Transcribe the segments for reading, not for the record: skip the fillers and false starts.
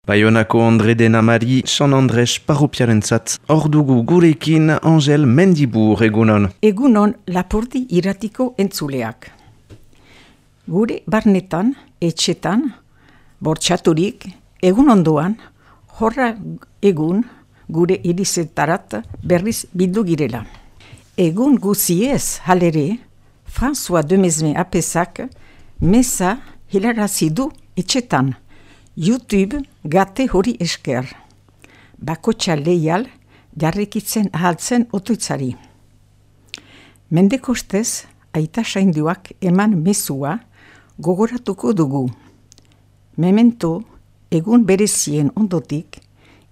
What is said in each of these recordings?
Baionako Andre den Amari, San Andres parropiarentzat. Hor dugu gurekin Angel Mendibur, egunon. Egunon Lapurdi iratiko entzuleak. Gure barnetan, etxetan, bortxaturik, egun ondoan, horra egun gure irizetarat berriz bildu girela. Egun guziez halere, François Demesme apesak mesa hilarazi du etxetan. YouTube gate hori esker. Bakotxa leial jarrikitzen ahaltzen otoitzari. Mendekostez, aita sainduak eman mezua gogoratuko dugu. Memento, egun berezien ondotik,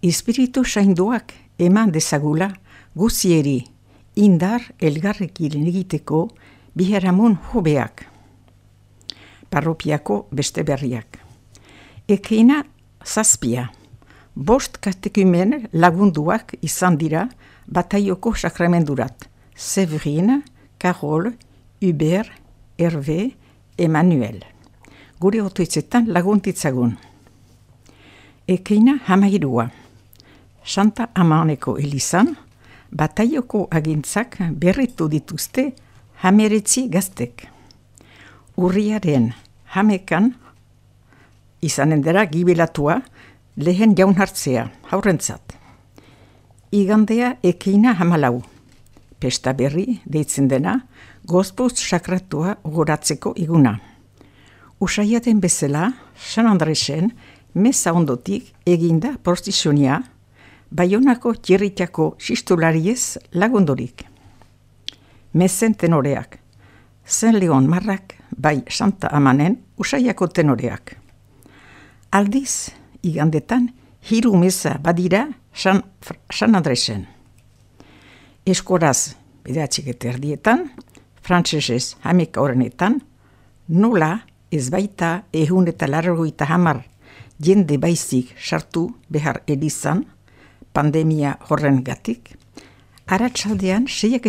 espiritu sainduak eman dezagula guzieri indar elgarrekin egiteko biharamun hobeak. Parropiako beste berriak. Ekeina zazpia. 5 katekumen lagunduak izan dira bataioko sakramendurat. Séverine, Carole, Hubert, Hervé, Emmanuel. Gure otoitzetan laguntitzagun. Ekeina 13. Santa Amaneko Elizan, bataioko agintzak berritu dituzte 19 gaztek. Urriaren 11 izanen dira gibilatua lehen jaun hartzea, haurrentzat. Igandea ekeina 14. Pesta berri deitzen dena, gozpuz sakratua goratzeko iguna. Usaiaten bezala, San Andresen, meza ondotik eginda prostizionia, Baionako txirritako sistulariez lagundorik. Mezen tenoreak, Zen Leon Marrak, bai Santa Amanen, usaiako tenoreak. Aldiz, igandetan, 3 meza badira San Andresen. Eskoraz, 9 frantsesez 11 nola ez baita 180 jende baizik sartu behar elizan, pandemia horren gatik, arratsaldean 6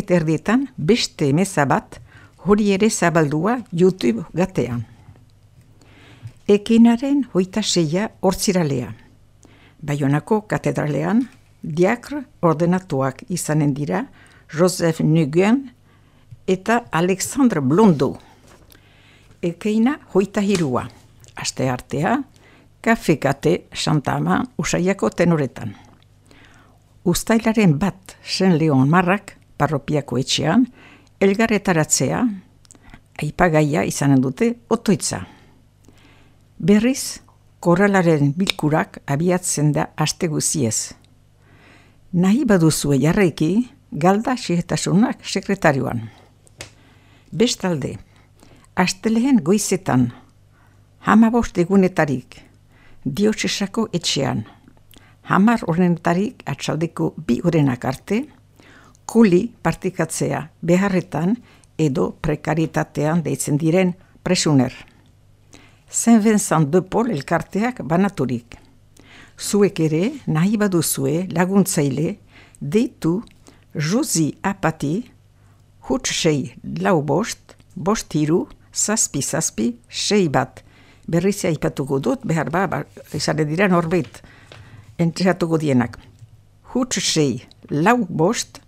beste meza bat hori ere zabaldua YouTube gatean. Ekinaren 26 hortziralea. Baionako katedralean, diakr ordenatuak izanen dira Joseph Nguyen eta Alexandre Blondeau. Ekeina 23. Aste artea, Kafe Kate Santa Ama usaiako tenoretan. Uztailaren 1 Zen Leon Marrak parropiako etxean, elgarretaratzea, aipagaia izanen dute otoitza. Berriz, korralaren bilkurak abiatzen da aste guziez. Nahi baduzue jarraiki, galda xietasunak sekretarioan. Bestalde, astelehen goizetan, 15 egunetarik, diotxesako etxean, 10 horretarik atxaldeko 2 horenak arte, kuli partikatzea beharretan edo prekaritatean deitzen diren presuner. Saint Vincent de Paul elkarteak banaturik. Zuek ere nahi baduzue laguntzaile deitu Josi Apati huts 6 lau 5 3 zazpi 6 bat. Berriz aipatuko dut, behar izan dira norbait entregatuko dienak. Huts 6 lau 5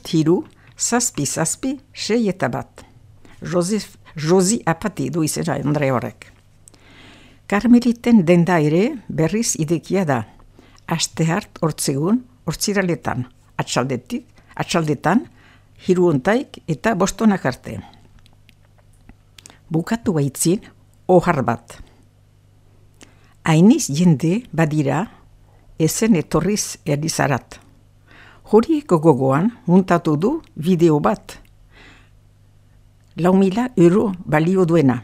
3 zazpi 6 eta bat. Josi Apati du izena Andre horrek. Karmeliten denda ere berriz idekia da. Aste hart hortzegun, hortziraletan, atxaldetan, 3 eta 5 arte. Bukatu baitzin, ohar bat. Hainiz jende badira, ezen etorriz erdizarat. Horieko gogoan muntatu du bideo bat. 4.000 euro balio duena.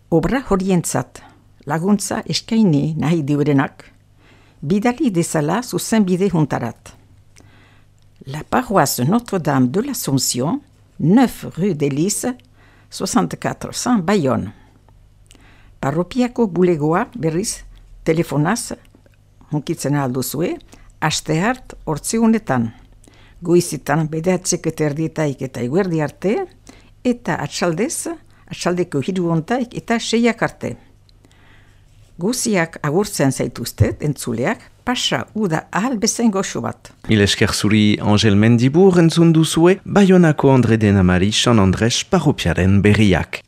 Obra horientzat, laguntza eskaini nahi diurenak, bidali dezala zuzenbide juntarat. La paroisse Notre-Dame de l'Assomption, 9 rue d'Elis, 6400 Bayonne. Parropiako bulegoa berriz telefonaz, hunkitzen alduzue, aste hart hortzeunetan. Goizitan 9:30 eta eguerdi arte, eta atxaldeko 3 eta 6 arte. Guziak agurtzen zaituztet, entzuleak, pasa uda ahal bezain goxo bat. Mil esker zuri Angel Mendibur entzun duzue, Baionako Andre Denamari San Andres parropiaren berriak.